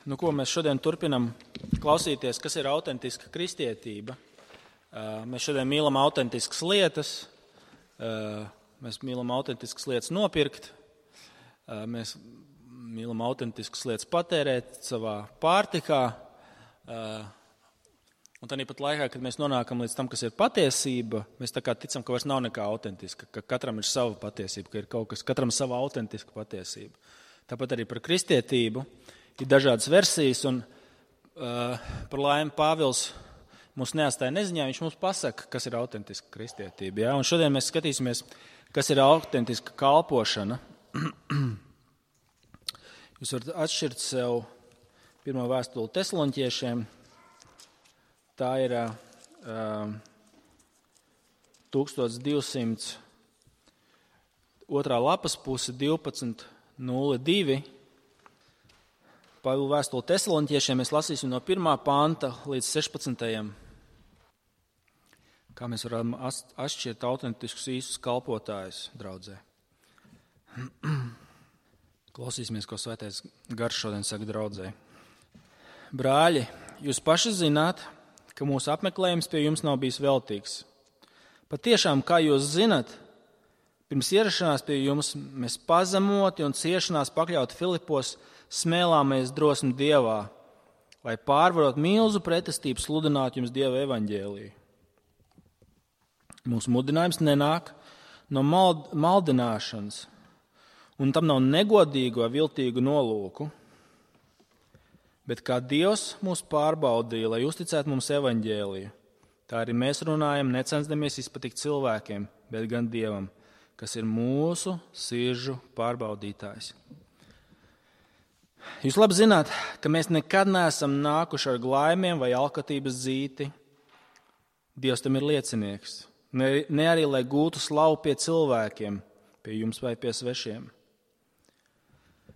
Ko mēs šodien turpinam klausīties, kas ir autentiska kristietība. Mēs šodien mīlam autentiskas lietas, mēs mīlam autentiskas lietas nopirkt, mēs mīlam autentiskas lietas patērēt savā pārtikā. Un tāpat laikā, kad mēs nonākam līdz tam, kas ir patiesība, mēs tā kā ticam, ka vairs nav nekā autentiska, ka katram ir sava patiesība, ka ir kaut kas, katram sava autentiska patiesība. Tāpat arī par kristietību ir dažādas versijas, un par laimi Pāvils mūs neatstāja neziņā, viņš mums pasaka, kas ir autentiska kristietība. Ja? Un šodien mēs skatīsimies, kas ir autentiska kalpošana. Jūs varat atšķirt sev pirmo vēstuli Tesaloniķiešiem. Tā ir 1200 otrā lapas puse 12.02. Pāvila vēstuli Tesaloniķiešiem mēs lasīsim no 1. panta līdz 16. Kā mēs varam atšķirt autentiskus īstus kalpotājus draudzē. Klausīsimies, ko Svētais Gars šodien saka draudzē. Brāļi, jūs paši zināt, ka mūsu apmeklējums pie jums nav bijis veltīgs. Patiešām, kā jūs zinat, pirms ierašanās pie jums mēs pazemoti un ciešanās pakļauti Filipos smēlāmies drosmi Dievā, lai pārvarot milzu pretestību sludinātu jums Dieva evaņģēliju. Mūsu mudinājums nenāk no maldināšanas, un tam nav negodīgu vai viltīgu nolūku, bet kā Dievs mūs pārbaudīja, lai uzticētu mums evaņģēliju, tā arī mēs runājam, necensdamies izpatikt cilvēkiem, bet gan Dievam, kas ir mūsu sirdžu pārbaudītājs. Jūs labi zināt, ka mēs nekad neesam nākuši ar glaimiem vai alkatības zīti. Dievs tam ir liecinieks. Ne arī, lai gūtu slavu pie cilvēkiem, pie jums vai pie svešiem.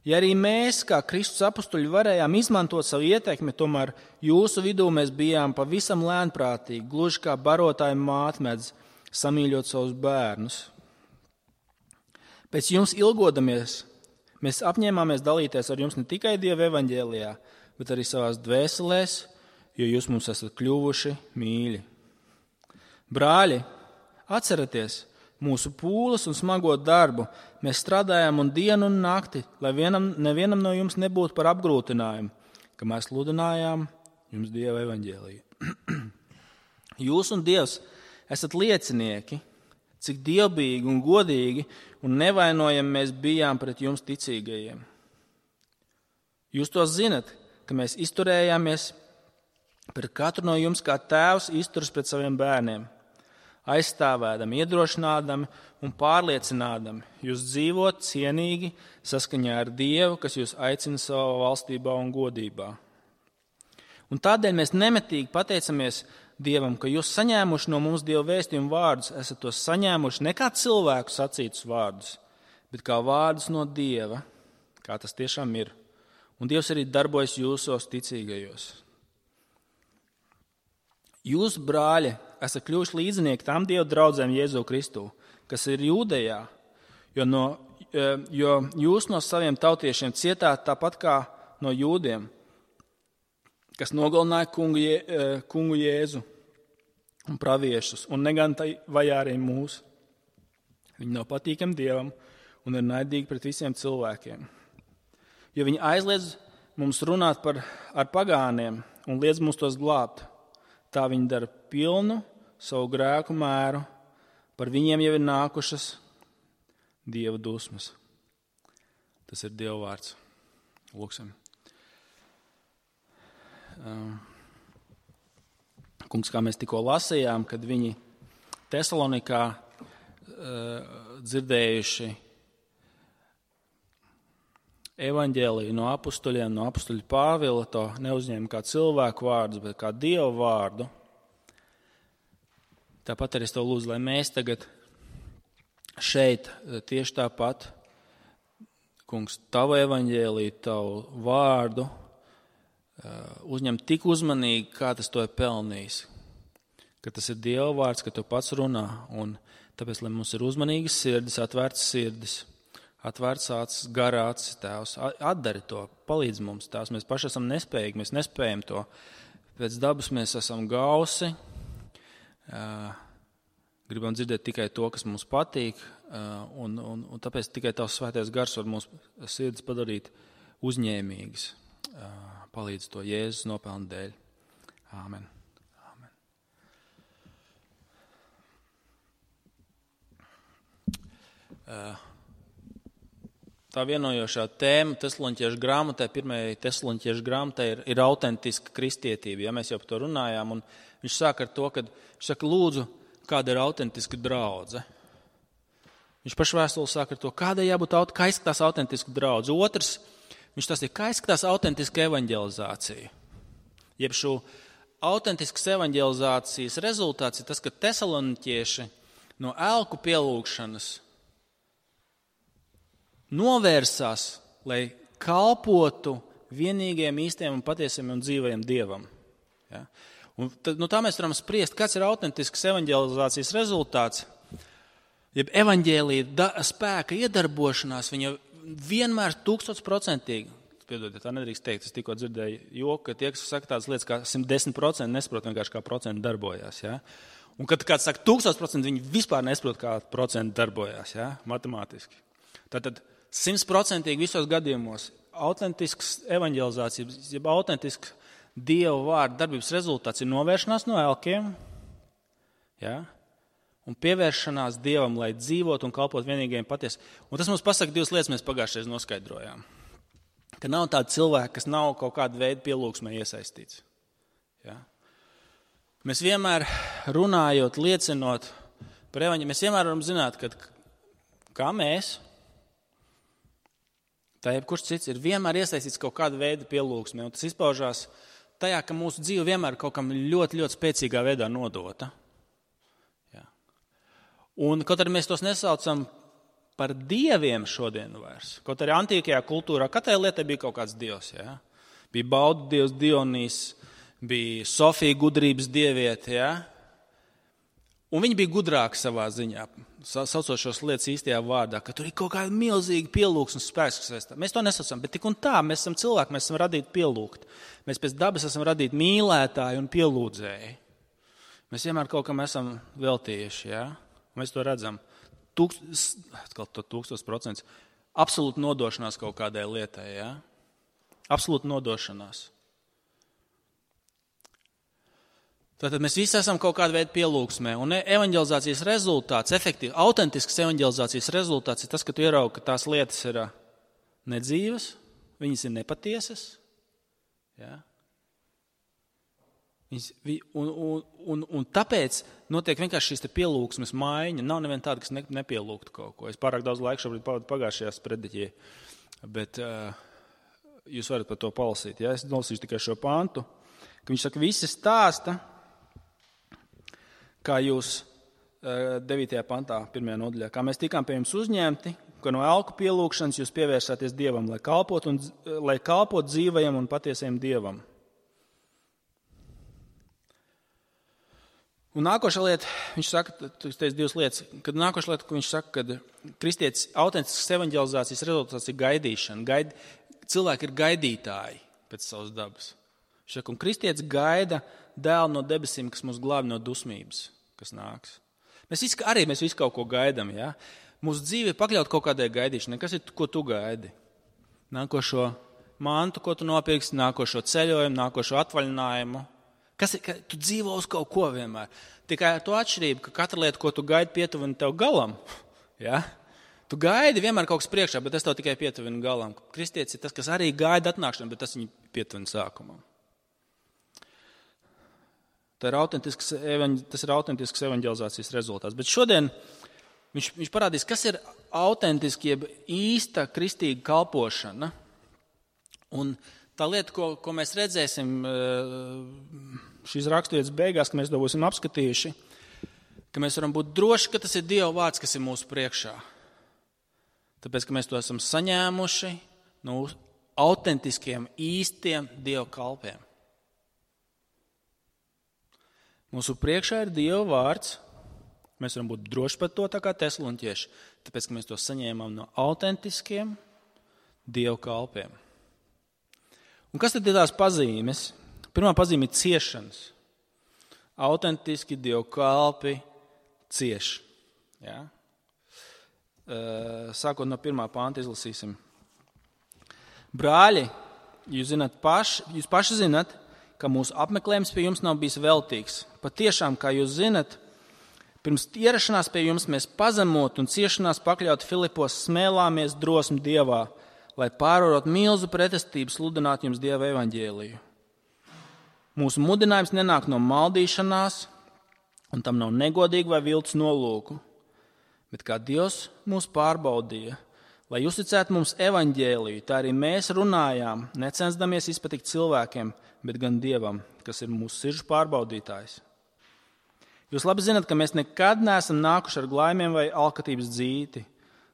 Ja arī mēs, kā Kristus apustuļi, varējām izmantot savu ietekmi, tomēr jūsu vidū mēs bijām pavisam lēnprātīgi, gluži kā barotāja mātmedz, samīļot savus bērnus. Pēc jums ilgodamies, mēs apņēmāmies dalīties ar jums ne tikai Dieva evaņģēlijā, bet arī savās dvēselēs, jo jūs mums esat kļuvuši mīļi. Brāļi, atcerieties mūsu pūles un smago darbu. Mēs strādājām un dienu un nakti, lai nevienam no jums nebūtu par apgrūtinājumu, ka mēs sludinājām jums Dieva evaņģēliju. Jūs un Dievs esat liecinieki, cik dievbijīgi un godīgi un nevainojami mēs bijām pret jums ticīgajiem. Jūs to zinat, ka mēs izturējāmies pret katru no jums, kā tēvs izturas pret saviem bērniem, aizstāvēdami, iedrošinādami un pārliecinādami jūs dzīvot cienīgi saskaņā ar Dievu, kas jūs aicina savā valstībā un godībā. Un tādēļ mēs nemitīgi pateicamies Dievam, ka jūs saņēmuši no mums Dieva vēstījumu vārdus, esat tos saņēmuši ne kā cilvēku sacītus vārdus, bet kā vārdus no Dieva, kā tas tiešām ir. Un Dievs arī darbojas jūsos ticīgajos. Jūs, brāļi, esat kļuvuši līdzinieki tām Dieva draudzēm Jēzu Kristu, kas ir Jūdejā, jo jūs no saviem tautiešiem cietāt tāpat kā no jūdiem, kas nogalināja kungu Jēzu un praviešus, un negan vajā arī mūs. Viņi nav patīkami Dievam un ir naidīgi pret visiem cilvēkiem. Jo viņi aizliedz mums runāt ar pagāniem un liedz mums tos glābt. Tā viņi dara pilnu savu grēku mēru, par viņiem jau ir nākušas Dieva dusmas. Tas ir Dieva vārds. Lūksim. Kungs, kā mēs tikko lasījām, kad viņi Tesalonikā dzirdējuši evaņģēliju no apustuļiem, no apustuļa Pāvila, to neuzņēma kā cilvēku vārdus, bet kā Dieva vārdu. Tāpat arī es tev lūdzu, lai mēs tagad šeit tieši tāpat, Kungs, tavu evaņģēliju, tavu vārdu, uzņem tik uzmanīgi, kā tas to ir pelnījis. Ka tas ir Dieva vārds, ka tu pats runā. Un tāpēc, lai mums ir uzmanīgas sirdis, atvērtas sirdis, Atvērts acis, garā acis, Tēvs. Atdari to, palīdz mums, Tēvs. Mēs paši esam nespējīgi, mēs nespējam to. Pēc dabas mēs esam gausi. Gribam dzirdēt tikai to, kas mums patīk. Un tāpēc tikai Tavs svētais gars var mūsu sirds padarīt uzņēmīgas. Palīdz to Jēzus nopelnu dēļ. Āmen. Āmen. Tā vienojošā tēma Tesaloņķiešu grāmatai, pirmajai Tesaloņķiešu grāmatai ir autentiska kristietība. Ja mēs jau par to runājām, un viņš sāk ar to, ka viņš saka, lūdzu, kāda ir autentiska draudze. Viņš pašvēstuli sāk ar to, kādai jābūt kā izskatās autentiska draudze. Otrs, viņš tas ir, kā izskatās autentiska evaņģelizācija. Jeb šo autentiskas evaņģelizācijas rezultāts ir tas, ka Tesaloņķieši no elku pielūgšanas novērsās, lai kalpotu vienīgajiem īstiem un patiesiem un dzīvajiem Dievam. Ja? Un tad, tā mēs varam spriest, kāds ir autentisks evaņģelizācijas rezultāts. Jeb evaņģēlija spēka iedarbošanās, viņa vienmēr 1000%, piedodiet, tā nedrīkst teikt, es tikko dzirdēju joku, ka tie, kas saka tādas lietas kā 110%, nesaprot vienkārši kā procenti darbojās. Ja? Un kad kāds saka 1000%, viņi vispār nesaprot, kā procenti darbojās, ja? Matemātiski. Tātad 100% visos gadījumos autentisks evaņģelizācijas, jeb autentisks Dieva vārda darbības rezultāts ir novēršanās no elkiem, ja? Un pievēršanās Dievam, lai dzīvot un kalpot vienīgajiem patiesi. Un tas mums pasaka divas lietas, mēs pagājušajā noskaidrojām. Ka nav tāda cilvēka, kas nav kaut kāda veida pielūgsmē iesaistīts. Ja? Mēs vienmēr runājot, liecinot par evaņģēliju, mēs vienmēr varam zināt, ka kā mēs, tā jebkurš cits ir vienmēr iesaistīts kaut kāda veida pielūgsmē, un tas izpaužās tajā, ka mūsu dzīve vienmēr kaut kam ļoti, ļoti spēcīgā veidā nodota. Ja. Un kaut arī mēs tos nesaucam par dieviem šodien vairs. Kaut arī antīkajā kultūrā katrai lietai bija kaut kāds dievs. Ja. Bija baudu dievs Dionīs, bija Sofija gudrības dieviete. Ja. Un viņi bija gudrāki savā ziņā, saucot šos lietas īstajā vārdā, ka tur ir kaut kāda milzīga pielūgsmes spēks, kas vēstā. Mēs to nesaucam, bet tik un tā, mēs esam cilvēki, mēs esam radīti pielūgt. Mēs pēc dabas esam radīti mīlētāji un pielūdzēji. Mēs vienmēr kaut kam esam veltījuši, ja? Mēs to redzam. 1000%. Absolūti nodošanās kaut kādai lietai, ja? Absolūti nodošanās. Tātad mēs visi esam kaut kāda veida pielūgsmē, un evaņģelizācijas rezultāts, efektīvi, autentisks evaņģelizācijas rezultāts ir tas, ka tu ieraugi, ka tās lietas ir nedzīvas, viņas ir nepatiesas. Ja? Un tāpēc notiek vienkārši šīs pielūgsmes maiņa. Nav neviena tāda, kas nepielūgtu kaut ko. Es pārāk daudz laika šobrīd pavadu pagājušajā sprediķī, bet jūs varat par to palasīt. Ja? Es nolasīšu tikai šo pantu, ka viņš saka, visi stāsta, kā jūs 9. pantā, 1. nodaļā, kā mēs tikām pie jums uzņemti, ka no elku pielūgšanas jūs pievērsāties Dievam, lai kalpot dzīvajam un patiesajam Dievam. Un nākošā lieta, viņš saka, tu teici divas lietas, kad nākošā lieta, ko viņš saka, kad kristietis autentisks evaņģelizācijas rezultāts ir gaidīšana. Cilvēki ir gaidītāji pēc savas dabas. Viņš saka, un kristietis gaida dēlu no debesīm, kas mūs glābi no dusmības, kas nāks. Mēs visi kaut ko gaidām, ja? Mūsu dzīve ir pakļaut kaut kādai gaidīšanai. Kas ir, ko tu gaidi? Nākošo mantu, ko tu nopirksi, nākošo ceļojumu, nākošo atvaļinājumu. Tu dzīvo uz kaut ko vienmēr. Tikai to atšķirību, ka katra lieta, ko tu gaidi, pietuvina tev galam. Ja? Tu gaidi vienmēr kaut kas priekšā, bet tas tev tikai pietuvina galam. Kristietis ir tas, kas arī gaida atnākšanu, bet tas viņu pietuvina sākumam. Tas ir autentisks evaņģelizācijas rezultāts. Bet šodien viņš parādīs, kas ir autentiski, jeb īsta kristīga kalpošana. Un tā lieta, ko mēs redzēsim šīs raksturvietas beigās, ka mēs to būsim apskatījuši, ka mēs varam būt droši, ka tas ir Dieva vārds, kas ir mūsu priekšā. Tāpēc, ka mēs to esam saņēmuši no autentiskiem, īstiem Dieva kalpiem. Mūsu priekšā ir Dieva vārds, Mēs varam būt droši par to, tā kā tesaloniķieši, tāpēc, ka mēs to saņēmām no autentiskiem Dieva kalpiem. Un kas tad ir tās pazīmes? Pirmā pazīme ir ciešanas. Autentiski Dieva kalpi cieš. Ja? Sākot no 1. panta izlasīsim. Brāļi, jūs paši zinat, ka mūsu apmeklējums pie jums nav bijis veltīgs. Patiešām, kā jūs zinat, pirms ierašanās pie jums mēs pazemot un ciešanās pakļaut Filipos smēlāmies drosmi Dievā, lai pārvarot milzu pretestību sludināt jums Dieva evaņģēliju. Mūsu mudinājums nenāk no maldīšanās, un tam nav negodīgi vai viltus nolūku, bet kā Dievs mūs pārbaudīja, lai uzticētu mums evaņģēliju, tā arī mēs runājām, necensdamies izpatikt cilvēkiem, bet gan Dievam, kas ir mūsu sirdžu pārbaudītājs. Jūs labi zinat, ka mēs nekad neesam nākuši ar glaimiem vai alkatības dzīti.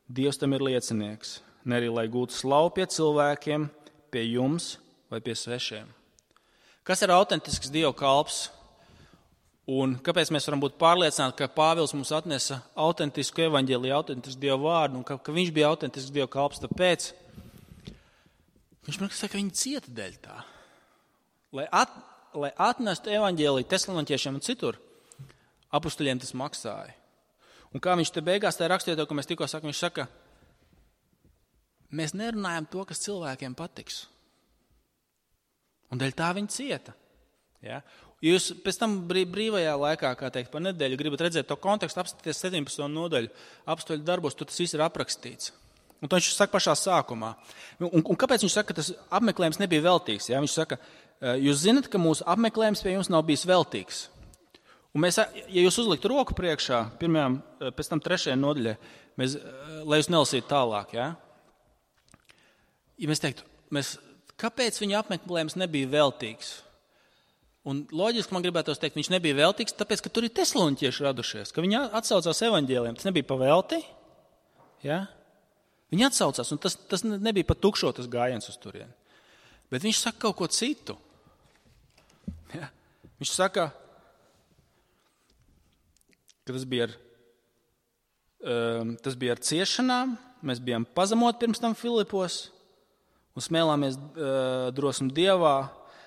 Dievs tam ir liecinieks, ne arī lai gūtu slavu pie cilvēkiem, pie jums vai pie svešiem. Kas ir autentisks Dieva kalps? Un kāpēc mēs varam būt pārliecināti, ka Pāvils mums atnesa autentisku evaņģēliju, autentisku Dieva vārdu, un ka viņš bija autentisks Dieva kalps, tāpēc viņš man saka, ka viņi cieta dēļ tā. Lai atnestu evaņģēliju tesaloniķiešiem un citur, apustuļiem tas maksāja. Un kā viņš te beigās tā rakstīja to, ka mēs tikko sakam, viņš saka, mēs nerunājam to, kas cilvēkiem patiks. Un dēļ tā viņi cieta. Ja? Jūs pēc tam brīvajā laikā, kā teikt, pa nedēļu gribat redzēt to kontekstu, apskatīties 17. nodaļu apstuļu darbos, tur tas viss ir aprakstīts. Un to viņš saka pašā sākumā. Un kāpēc viņš saka, ka tas apmeklējums nebija veltīgs? Ja? Viņš saka, jūs zinat, ka mūsu apmeklējums pie jums nav bijis veltīgs. Un mēs, ja jūs uzliktu roku priekšā, pēc tam 3. nodaļai, lai jūs nelasītu tālāk, ja? Ja mēs teiktu, kāpēc viņa apmeklējums nebija veltīgs? Un loģiski man gribētos teikt, viņš nebija veltīgs, tāpēc, ka tur ir tesaloniķieši radušies, ka viņi atsaucās evaņģēliem. Tas nebija pa velti, ja? Viņi atsaucās, un tas nebija pa tukšo tas gājiens uz turieni. Bet viņš saka kaut ko citu. Ja? Viņš saka, ka tas bija ar ciešanām, mēs bijām pazemot pirms tam Filipos un smēlāmies drosmi Dievā,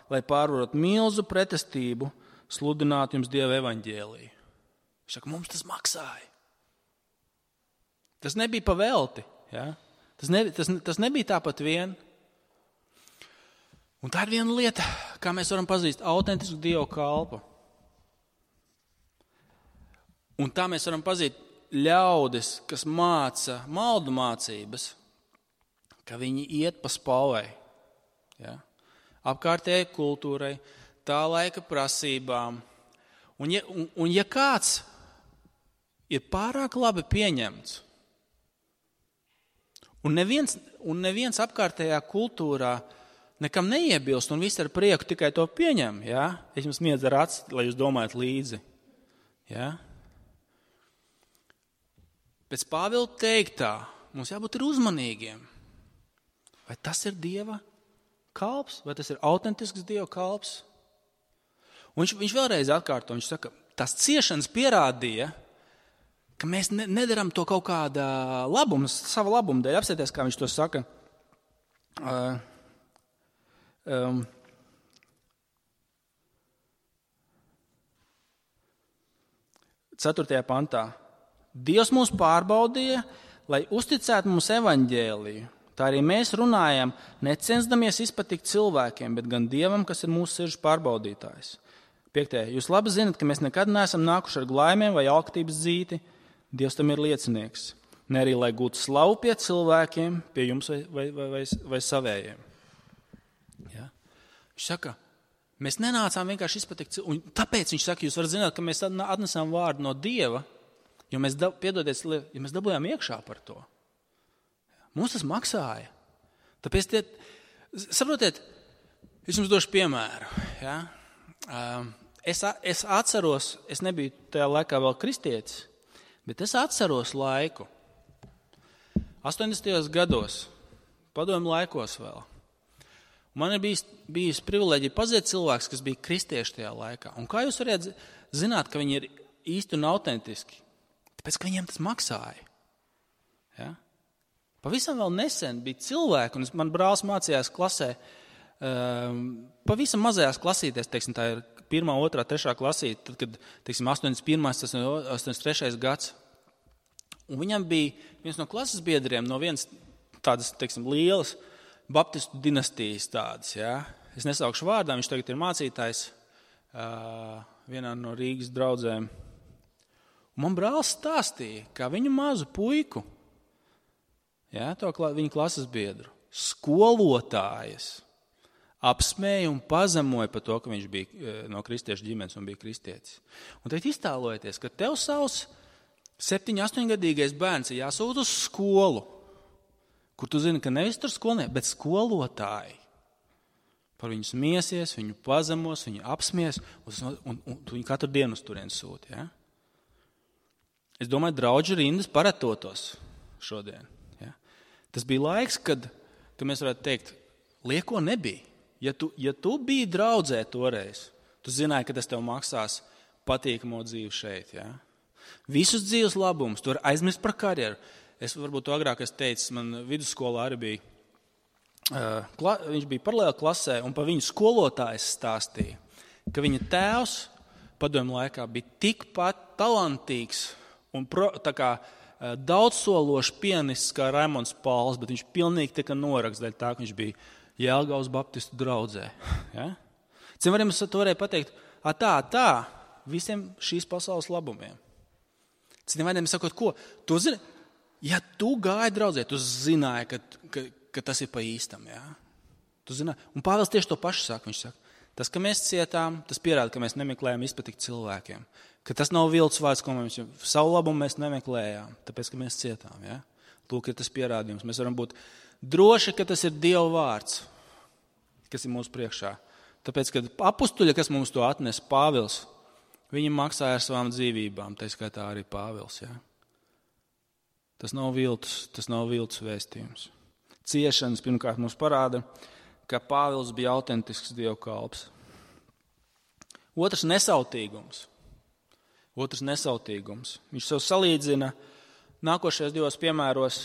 lai pārvarot milzu pretestību, sludināt jums Dieva evaņģēliju. Viņš saka, mums tas maksāja. Tas nebija pa velti. Ja? Tas nebija tāpat vien. Un tā ir viena lieta, kā mēs varam pazīt autentisku Dieva kalpu. Un tā mēs varam pazīt ļaudis, kas māca maldu mācības, ka viņi iet pa spalvai. Ja? Apkārtējai kultūrai, tā laika prasībām. Un ja kāds ir pārāk labi pieņemts, un neviens apkārtējā kultūrā nekam neiebilst, un viss ar prieku tikai to pieņem, ja? Es jums miedz ar aci, lai jūs domājat līdzi. Ja? Pēc Pāvila teiktā, mums jābūt ir uzmanīgiem. Vai tas ir Dieva kalps, vai tas ir autentisks Dieva kalps? Un viņš vēlreiz atkārto, viņš saka, tās ciešanas pierādīja, ka mēs nedaram to kaut kāda labuma, sava labuma dēļ. Apsieties, kā viņš to saka. 4. pantā. Dievs mūs pārbaudīja, lai uzticētu mums evaņģēliju. Tā arī mēs runājam, necensdamies izpatikt cilvēkiem, bet gan Dievam, kas ir mūsu sirdžu pārbaudītājs. 5. Jūs labi zinat, ka mēs nekad neesam nākuši ar glaimiem vai alkatības dzīti. Dievs tam ir liecinieks. Ne arī, lai gūtu slavu pie cilvēkiem, pie jums vai savējiem. Ja? Viņš saka, mēs nenācām vienkārši izpatikt cilvēkiem. Un tāpēc viņš saka, jūs varat zināt, ka mēs atnesām vārdu no Dieva, jo mēs, ja mēs dabūjām iekšā par to. Mums tas maksāja. Tāpēc, saprotiet, es jums došu piemēru. Ja? Es atceros, es nebiju tajā laikā vēl kristietis, bet es atceros laiku. 80. gados, padomju laikos vēl. Man ir bijis privileģija pazīt cilvēks, kas bija kristieši tajā laikā. Un kā jūs varētu zināt, ka viņi ir īsti un autentiski? Tāpēc, ka viņiem tas maksāja. Ja? Pavisam vēl nesen bija cilvēki, un man brālis mācījās klasē, pavisam mazajās klasītēs, teiksim, tā ir 1., 2., 3. klasīte, tad, kad, teiksim, 81., 83. gads. Un viņam bija viens no klases biedriem no vienas tādas, teiksim, lielas baptistu dinastijas tādas, ja. Es nesaukšu vārdā, viņš tagad ir mācītājs vienā no Rīgas draudzēm. Un man brālis stāstīja, kā viņu mazu puiku, ja, to viņa klases biedru, skolotājas apsmēja un pazemoja par to, ka viņš bija no kristiešu ģimenes un bija kristietis. Un tagad iztēlojieties, ka tev savs 7, 8-gadīgais bērns ir jāsūt uz skolu, kur tu zini, ka nevis tur skolnieki, bet skolotāji par viņu smiesies, viņu pazemos, viņu apsmies, un tu viņu katru dienu uz turien sūti. Ja? Es domāju, draudžu rindas paratotos šodien. Ja? Tas bija laiks, kad mēs varētu teikt, lieko nebija. Ja tu biji draudzē toreiz, tu zināji, ka tas tev maksās patīkamo dzīvi šeit. Ja? Visus dzīves labumus, tu vari aizmirst par karjeru. Es varbūt to agrāk teicu, man vidusskolā arī bija, viņš bija paralēli klasē, un pa viņu skolotājs stāstīja, ka viņa tēvs padomju laikā bija tikpat talantīgs un daudzsološs pianists kā Raimonds Pauls, bet viņš pilnīgi tika norakts daļa tā, ka viņš bija Jelgavas baptistu draudzē. Ja? Cilvēkiem es to varēju pateikt, tā, visiem šīs pasaules labumiem. Citiem vārdiem sakot, ko? Tu zini, ja tu gāji draudzē, tu zināji, ka tas ir pa īstam. Ja? Tu zināji. Un Pāvils tieši to pašu saka. Viņš saka, tas, ka mēs cietām, tas pierāda, ka mēs nemeklējam izpatikt cilvēkiem. Ka tas nav viltus vārds, ko mēs savu labumu mēs nemeklējām, tāpēc, ka mēs cietām. Ja? Lūk, ir tas pierādījums. Mēs varam būt droši, ka tas ir Dieva vārds, kas ir mūsu priekšā. Tāpēc, kad apustuļi, kas mums to atnes, Pāvils, viņi maksāja ar savām dzīvībām, tā skaitā arī Pāvils. Ja? Tas nav viltus vēstījums. Ciešanas pirmkārt mums parāda, ka Pāvils bija autentisks Dieva kalps. Otrs nesautīgums. Viņš sev salīdzina nākošajos 2 piemēros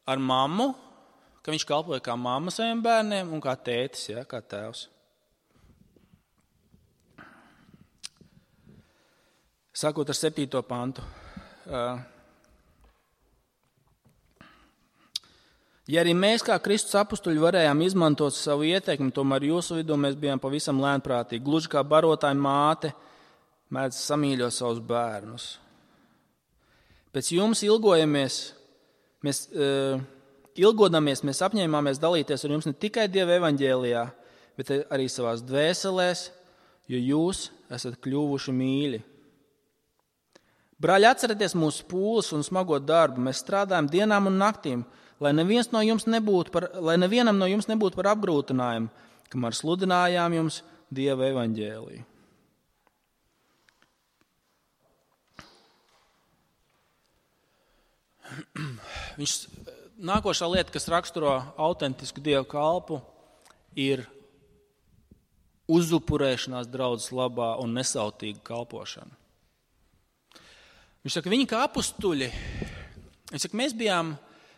ar mammu, ka viņš kalpoja kā mamma saviem bērniem un kā tētis, ja, kā tēvs. Sākot ar 7. pantu. Ja arī mēs kā Kristus apustuļi varējām izmantot savu ieteikumu, tomēr jūsu vidū mēs bijām pavisam lēnprātīgi, gluži kā barotāja māte mēdz samīļot savus bērnus. Pēc jums ilgodamies, mēs apņēmāmies dalīties ar jums ne tikai Dieva evaņģēlijā, bet arī savās dvēselēs, jo jūs esat kļuvuši mīļi. Brāļi, atcerieties mūsu pūles un smago darbu. Mēs strādājam dienām un naktīm, lai nevienam no jums nebūtu par apgrūtinājumu, kamēr sludinājām jums Dieva evaņģēliju. Nākošā lieta, kas raksturo autentisku Dieva kalpu, ir uzupurēšanās draudzes labā un nesautīga kalpošana. Viņš saka, viņi kā apustuļi, viņš saka,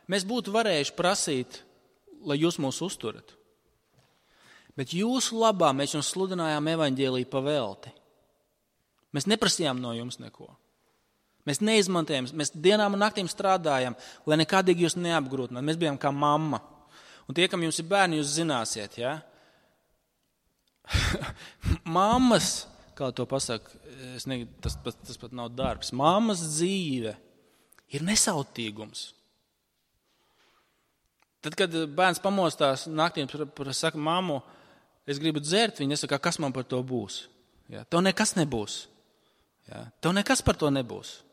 mēs būtu varējuši prasīt, lai jūs mūs uzturat. Bet jūsu labā mēs jums sludinājām evaņģēliju pa velti. Mēs neprasījām no jums neko. Mēs neizmantojam, mēs dienām un naktīm strādājam, lai nekādīgi jūs neapgrūtinātu. Mēs bijām kā mamma. Un tie, kam jums ir bērni, jūs zināsiet, ja? Mammas, kā to pasaka, tas pat nav darbs. Mammas dzīve ir nesautīgums. Tad, kad bērns pamostās naktīm, saka, mammu, es gribu dzert, viņa nesaka, kas man par to būs. Ja? Tev nekas nebūs. Ja? Tev nekas par to nebūs.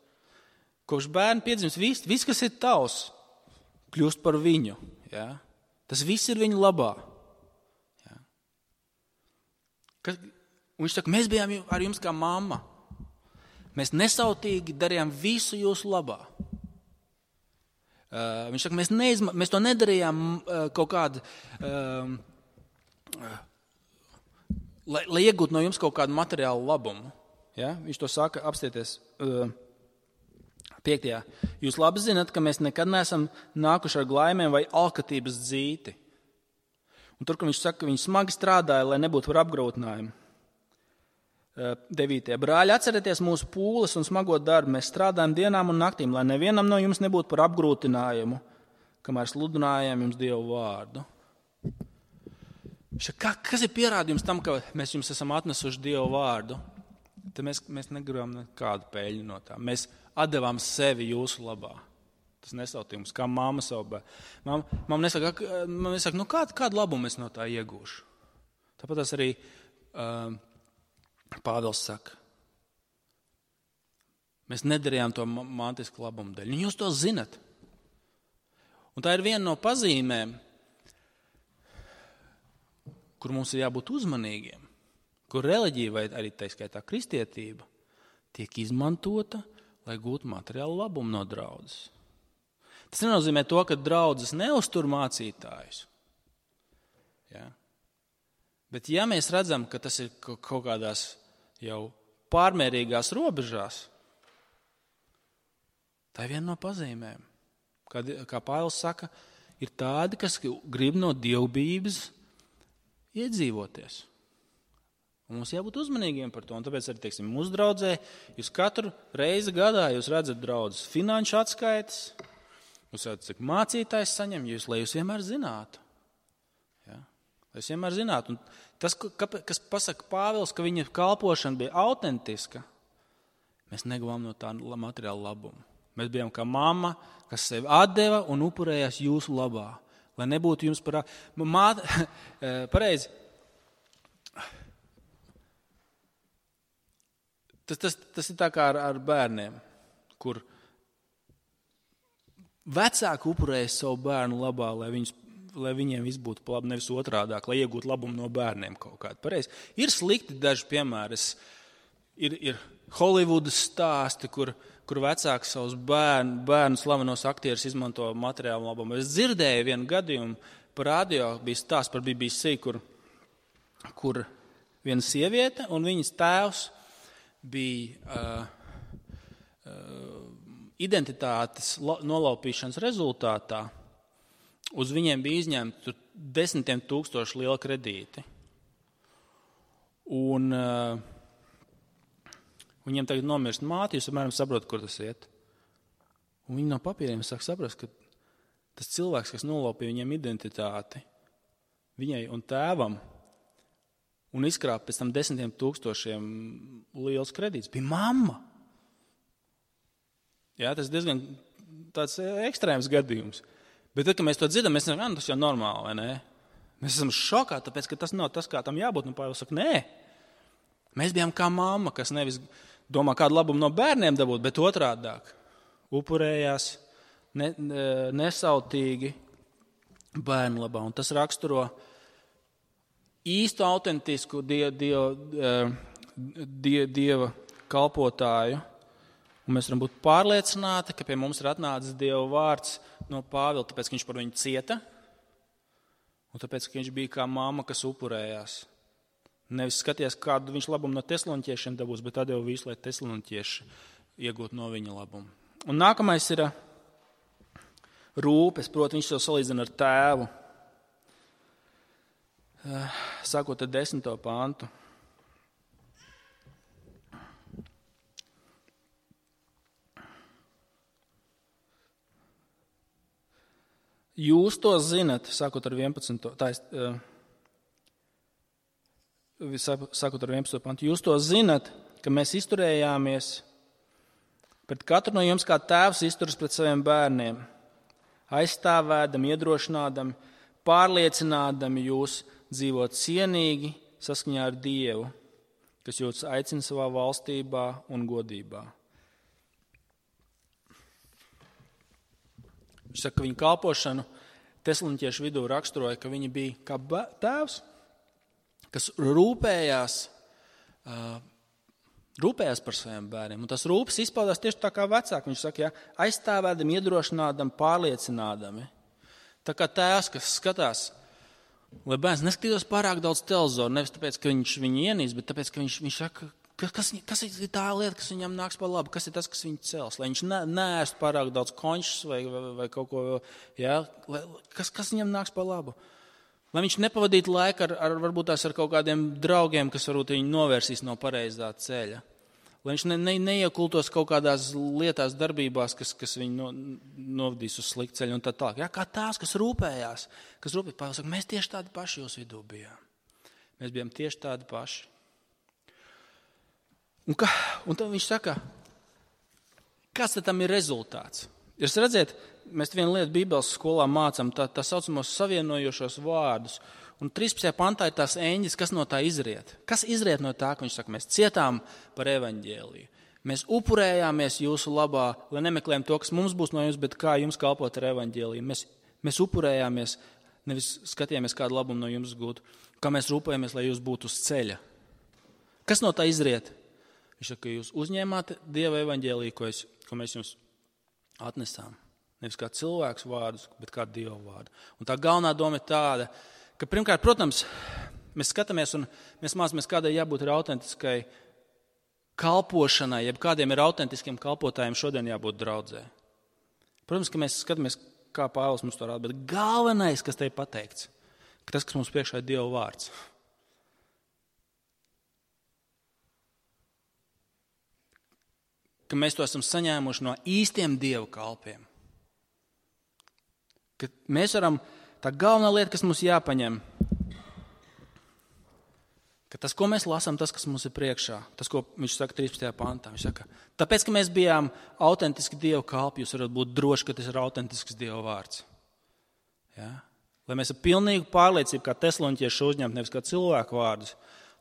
Kopš bērni piedzimst, viss, kas ir tavs, kļūst par viņu. Ja? Tas viss ir viņu labā. Ja? Un viņš saka, mēs bijām ar jums kā mamma. Mēs nesautīgi darījām visu jūsu labā. Viņš saka, mēs to nedarījām kaut kādu, lai iegūtu no jums kaut kādu materiālu labumu. Ja? Viņš to saka, apstieties, 5. 5. Jūs labi zināt, ka mēs nekad neesam nākuši ar glaimēm vai alkatības dzīti. Un tur, kur viņš saka, ka viņi smagi strādāja, lai nebūtu par apgrūtinājumu. 9. Brāļi, atcerieties mūsu pūles un smago darbu. Mēs strādājam dienām un naktīm, lai nevienam no jums nebūtu par apgrūtinājumu, kamēr sludinājam jums Dievu vārdu. Kas ir pierādījums tam, ka mēs jums esam atnesuši Dievu vārdu? Tad mēs negribam nekādu peļņu no tā. Mēs atdevām sevi jūsu labā. Tas nesautījums, kā mamma savu bērnu. Mamma nesaka, kādu labumu es no tā iegūšu. Tāpat tas arī Pāvils saka. Mēs nedarījām to mantisku labumu dēļ. Jūs to zinat. Un tā ir viena no pazīmēm, kur mums ir jābūt uzmanīgiem, kur reliģija vai arī tā skaitā kristietība tiek izmantota, lai gūtu materiālu labumu no draudzes. Tas nenozīmē to, ka draudzes neuztur mācītājus. Ja? Bet ja mēs redzam, ka tas ir kaut kādās jau pārmērīgās robežās, tā ir viena no pazīmēm. Kā Pāvils saka, ir tādi, kas grib no dievbijības iedzīvoties. Un mums jābūt uzmanīgiem par to. Un tāpēc arī, mūsu draudzē, jūs katru reizi gadā jūs redzat draudzes finanšu atskaites, jūs redzat, cik mācītājs saņem, lai jūs vienmēr zinātu. Ja? Lai jūs vienmēr zinātu. Un tas, kas pasaka Pāvils, ka viņa kalpošana bija autentiska, mēs neguvām no tā materiāla labumu. Mēs bijām kā mamma, kas sevi atdeva un upurējās jūsu labā. Lai nebūtu jums pareizi. Tas ir tā kā ar bērniem, kur vecāki upurējas savu bērnu labā, lai viņiem viss būtu labi, nevis otrādāk, lai iegūtu labumu no bērniem kaut kādu. Pareizi. Ir slikti daži piemēri. Ir Holivudas stāsti, kur vecāki savus bērnu slavenos aktierus izmanto materiālu labumu. Es dzirdēju vienu gadījumu par radio, bija stāsts par BBC, kur viena sieviete un viņas tēvs bija identitātes nolaupīšanas rezultātā. Uz viņiem bija izņemti 10 000 liela kredīti. Un viņiem tagad nomirst māte, jūs apmēram saprotat, kur tas iet. Un viņi no papīriem sāk saprast, ka tas cilvēks, kas nolaupīja viņiem identitāti, viņai un tēvam, un izkrāpa pēc tam 10 000 liels kredīts, bija mamma. Jā, tas ir diezgan tāds ekstrēms gadījums. Bet tad, kad mēs to dzirdam, mēs sakām, tas jau normāli, vai ne? Mēs esam šokā, tāpēc, ka tas nav tas, kā tam jābūt. Un Pāvils saka, nē. Mēs bijām kā mamma, kas nevis domā kādu labumu no bērniem dabūt, bet otrādāk. Upurējās nesautīgi bērnu labā. Un tas raksturo īstu autentisku Dieva kalpotāju. Un mēs varam būt pārliecināti, ka pie mums ir atnācis Dieva vārds no Pāvila, tāpēc, ka viņš par viņu cieta, un tāpēc, ka viņš bija kā mamma, kas upurējās. Nevis skaties, kādu viņš labumu no tesaloniķiešiem dabūs, bet atdeva visu, lai tesaloniķieši iegūtu no viņa labumu. Un nākamais ir rūpes, proti viņš to salīdzina ar tēvu. Sākot ar 10. pantu. Jūs to zinat, sākot ar 11. Sākot ar 11. pantu, jūs to zinat, ka mēs izturējāmies pret katru no jums, kā tēvs izturas pret saviem bērniem, aizstāvēdami, iedrošinādami, pārliecinādami jūs dzīvot cienīgi saskaņā ar Dievu, kas jūs aicina savā valstībā un godībā. Viņš saka, ka viņa kalpošanu tesaloniķiešu vidū raksturoja, ka viņi bija kā tēvs, kas rūpējās par saviem bērniem. Un tas rūpes izpaudās tieši tā kā vecāki. Viņš saka, aizstāvēdami, iedrošinādami, pārliecinādami. Tā kā tēvs, kas skatās, lai bērns neskatītos pārāk daudz televizoru, nevis tāpēc, ka viņš viņu ienīst, bet tāpēc, ka viņš saka, kas ir tā lieta, kas viņam nāks par labu? Kas ir tas, kas viņu cels? Lai viņš neēst pārāk daudz konšas vai kaut ko, kas viņam nāks par labu? Lai viņš nepavadītu laiku varbūt tās ar kaut kādiem draugiem, kas varbūt viņu novērsīs no pareizā ceļa. Lai viņš neiekultos kaut kādās lietās, darbībās, kas viņu novadīs uz sliktu ceļu un tā tālāk. Kā tās, kas rūpējās. Pāvils saka, mēs tieši tādi paši jūsu vidū bijām. Mēs bijām tieši tādi paši. Un tad viņš saka, kāds tad tam ir rezultāts? Jūs redziet, mēs vienu lietu Bībeles skolā mācām, tā saucamos savienojošos vārdus. Un 13. pantā ir tās eņģis, kas no tā izriet. Kas izriet no tā, ka viņš saka, mēs cietām par evaņģēliju. Mēs upurējāmies jūsu labā, lai nemeklējam to, kas mums būs no jums, bet kā jums kalpot ar evaņģēliju. Mēs upurējāmies, nevis skatījāmies, kādu labumu no jums gūt, kā mēs rūpējamies, lai jūs būtu uz ceļa. Kas no tā izriet? Viņš saka, ka jūs uzņēmāt Dieva evaņģēliju, ko mēs jums atnesām. Nevis kā cilvēks vārdus, bet kā Dieva vārdu. Un tā galvenā doma ir tāda, ka pirmkārt, protams, mēs skatāmies un mēs mācāmies, kādai jābūt ir autentiskai kalpošanai, jeb kādiem ir autentiskiem kalpotājiem šodien jābūt draudzē. Protams, ka mēs skatāmies, kā Pāvils mums to rāda, bet galvenais, kas te ir pateikts, ka tas, kas mums priekšā ir Dieva vārds. Ka mēs to esam saņēmuši no īstiem Dieva kalpiem. Ka mēs varam, tā galvenā lieta, kas mums jāpaņem, ka tas, ko mēs lasām, tas, kas mums ir priekšā, tas, ko viņš saka 13. pantā, viņš saka, tāpēc, ka mēs bijām autentiski Dieva kalpi, jūs varat būt droši, ka tas ir autentisks Dieva vārds. Ja? Lai mēs ar pilnīgu pārliecību, kā tesaloniķieši uzņemt, nevis kā cilvēku vārdus,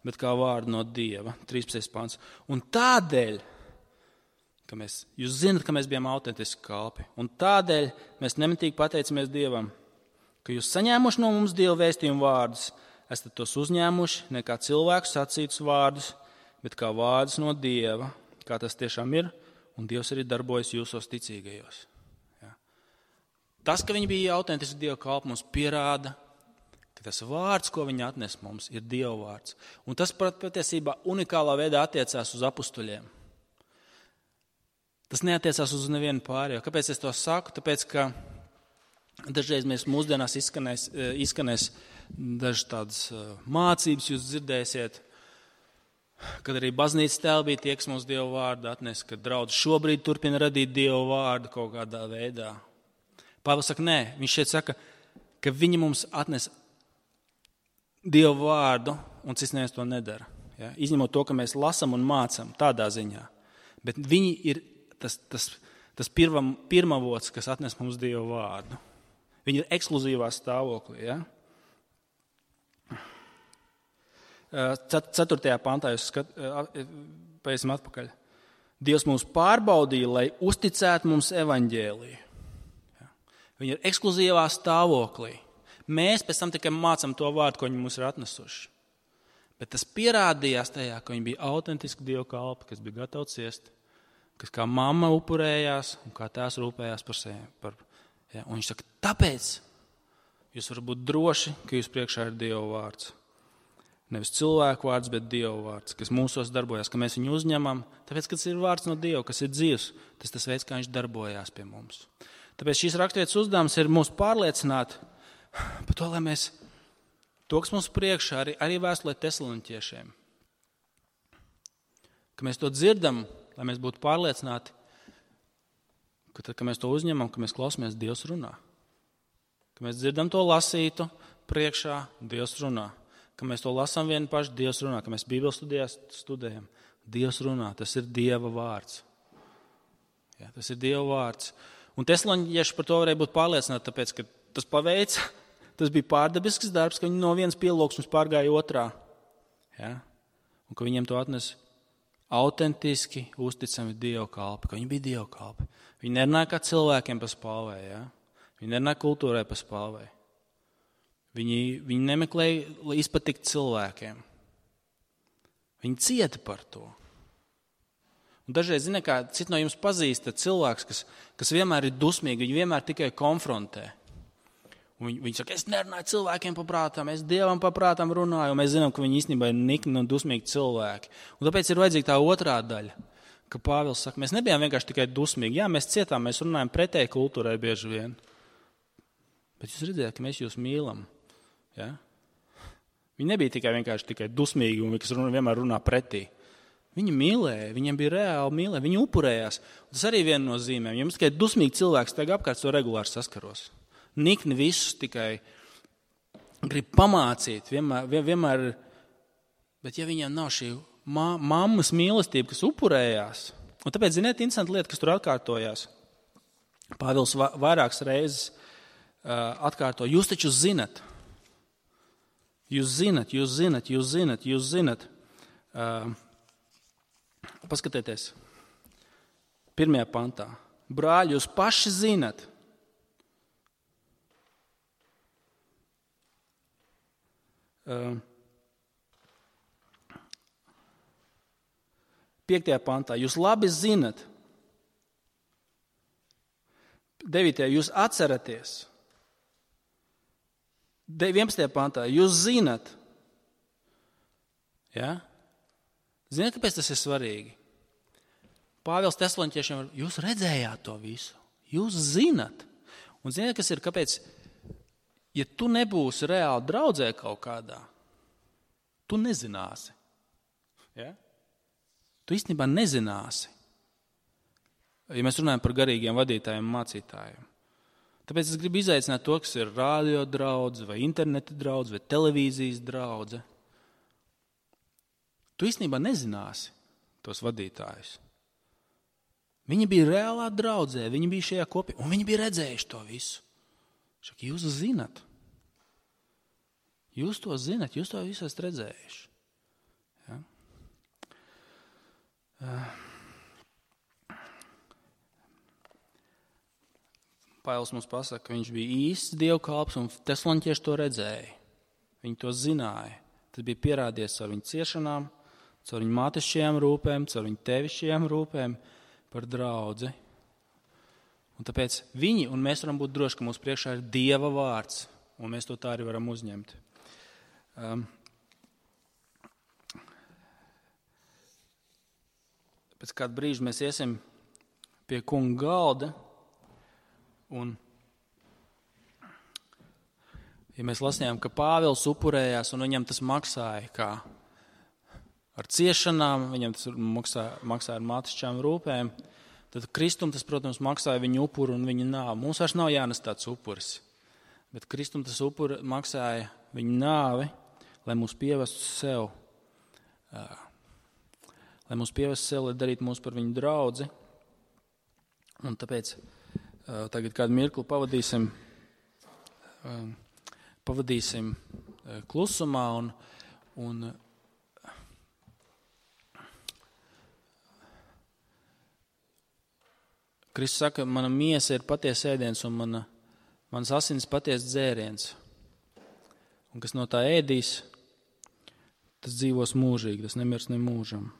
bet kā vārdu no Dieva, 13. pants. Un tādēļ, jūs zinat, ka mēs bijām autentiski kalpi. Un tādēļ mēs nemitīgi pateicamies Dievam, ka jūs saņēmuši no mums Dieva vēstījumu vārdus, esat tos uzņēmuši ne kā cilvēku sacītus vārdus, bet kā vārdus no Dieva, kā tas tiešām ir, un Dievs arī darbojas jūsos ticīgajos. Ja. Tas, ka viņi bija autentiski Dieva kalpi, mums pierāda, ka tas vārds, ko viņi atnes mums, ir Dieva vārds. Un tas patiesībā unikālā veidā attiecās uz apustuļiem. Tas neatiecās uz nevienu pārējo. Kāpēc es to saku? Tāpēc, ka dažreiz mēs mūsdienās izskanēs dažas tādas mācības, jūs dzirdēsiet, kad arī baznīcas tēli bija tie, kas mums Dieva vārdu atnes, kad draudz šobrīd turpina radīt Dieva vārdu kaut kādā veidā. Pāvils saka, nē, viņš šeit saka, ka viņi mums atnes Dieva vārdu, un cits neviens to nedara. Ja? Izņemot to, ka mēs lasam un mācam tādā ziņā. Bet viņi ir tas pirmavots, kas atnes mums Dieva vārdu. Viņi ir ekskluzīvā stāvoklī. Ja? 4. pantā jūs paiesim atpakaļ. Dievs mūs pārbaudīja, lai uzticētu mums evaņģēliju. Ja? Viņi ir ekskluzīvā stāvoklī. Mēs pēc tam tikai mācam to vārdu, ko viņi mums ir atnesuši. Bet tas pierādījās tajā, ka viņi bija autentiski Dieva kalpi, kas bija gatavi ciest, kas kā mamma upurējās un kā tās rūpējās par sevi. Ja? Un viņš saka, tāpēc jūs varat būt droši, ka jūs priekšā ir Dieva vārds. Nevis cilvēku vārds, bet Dieva vārds, kas mūsos darbojas, ka mēs viņu uzņemam, tāpēc, ka tas ir vārds no Dieva, kas ir dzīvs, tas veids, kā viņš darbojās pie mums. Tāpēc šīs raksturvietas uzdevums ir mūs pārliecināt par to, lai mēs to, kas mums priekšā, arī vēstulē tesaloniķiešiem, ka mēs to dzirdam, lai mēs būtu pārliecināti, ka tad, kad mēs to uzņemam, ka mēs klausāmies, Dievs runā. Ka mēs dzirdam to lasītu priekšā, Dievs runā. Ka mēs to lasām vieni paši, Dievs runā. Ka mēs Bībeles studējam, Dievs runā. Tas ir Dieva vārds. Ja, tas ir Dieva vārds. Un tesaloniķieši par to varēja būt pārliecināti, tāpēc, ka tas paveica, tas bija pārdabisks darbs, ka viņi no vienas pielūgsmes pārgāja otrā. Ja? Un ka viņiem to atnes autentiski, uzticami Dieva kalpi, ka viņi bija Dieva kalpi. Viņi nerunāja kā cilvēkiem pa spāvē, ja? Viņi nerunāja kultūrai pa spāvē. Viņi nemeklēja izpatikt cilvēkiem. Viņi cieta par to. Un dažreiz, ziniet, kā citi no jums pazīst cilvēks, kas vienmēr ir dusmīgi, viņi vienmēr tikai konfrontē. Un viņi saka, es nerunāju cilvēkiem pa prātām, es Dievam pa prātām runāju, un mēs zinām, ka viņi īstenībā ir nikni un dusmīgi cilvēki. Un tāpēc ir vajadzīga tā otrā daļa, ka Pāvils saka, mēs nebijām vienkārši tikai dusmīgi. Jā, mēs cietām, mēs runājam pretēji kultūrai bieži vien. Bet jūs redzējāt, ka mēs jūs mīlam. Ja? Viņi nebija tikai dusmīgi un kas vienmēr runā pretī. Viņi mīlēja, viņiem bija reāli mīlēja, viņi upurējās. Un tas arī viena no zīmēm. Ja mums tikai dusmīgi cilvēks tagad apkārt, to regulāri saskaros. Nikni visus tikai grib pamācīt, vienmēr, bet ja viņiem nav šī mammas mīlestība, kas upurējās, un tāpēc, ziniet, interesanti lieta, kas tur atkārtojās. Pāvils vairākas reizes atkārto, jūs taču zinat. Jūs zinat. Paskatieties, 1. pantā. Brāļi, jūs paši zinat. 5. pantā. Jūs labi zinat. 9. Jūs atceraties. 11. pantā. Jūs zinat. Ja? Ziniet, kāpēc tas ir svarīgi? Pāvils Tesaloniķiešiem, jūs redzējāt to visu. Jūs zinat. Un ziniet, kas ir, kāpēc? Ja tu nebūsi reāli draudzē kaut kādā, tu nezināsi. Ja? Tu īstenībā nezināsi. Ja mēs runājam par garīgiem vadītājiem un mācītājiem. Tāpēc es gribu izaicināt to, kas ir radio draudze, vai interneta draudze, vai televīzijas draudze. Tu īstenībā nezināsi tos vadītājus. Viņi bija reālā draudzē, viņi bija šajā kopī, un viņi bija redzējuši to visu. Šak, jūs zinat. Jūs to zinat, jūs to visu esat redzējuši. Ja? Pāvils mums pasaka, ka viņš bija īsts dievkalps, un tesaloniķieši to redzēja. Viņi to zināja. Tas bija pierādījies ar viņu ciešanām, caur viņu mātešajām rūpēm, caur viņu tevišķajām rūpēm par draudzi. Un tāpēc viņi, un mēs varam būt droši, ka mūsu priekšā ir Dieva vārds, un mēs to tā arī varam uzņemt. Pēc kāda brīža mēs iesim pie kunga galda, un ja mēs lasījām, ka Pāvils upurējās, un viņam tas maksāja kā ar ciešanām, viņam tas maksāja ar mātišķām rūpēm, tad Kristum tas, protams, maksāja viņu upuru un viņa nāvi. Mums vairs nav jānes tāds upuris, bet Kristum tas upuri maksāja viņu nāvi, lai mūs pievestu sev, lai darītu mūs par viņu draudzi. Un tāpēc tagad kādu mirkli pavadīsim klusumā un Kristus saka, mana miesa ir patiesa ēdiens un mans asins patiesa dzēriens. Un kas no tā ēdīs, tas dzīvos mūžīgi, tas nemirs ne mūžam.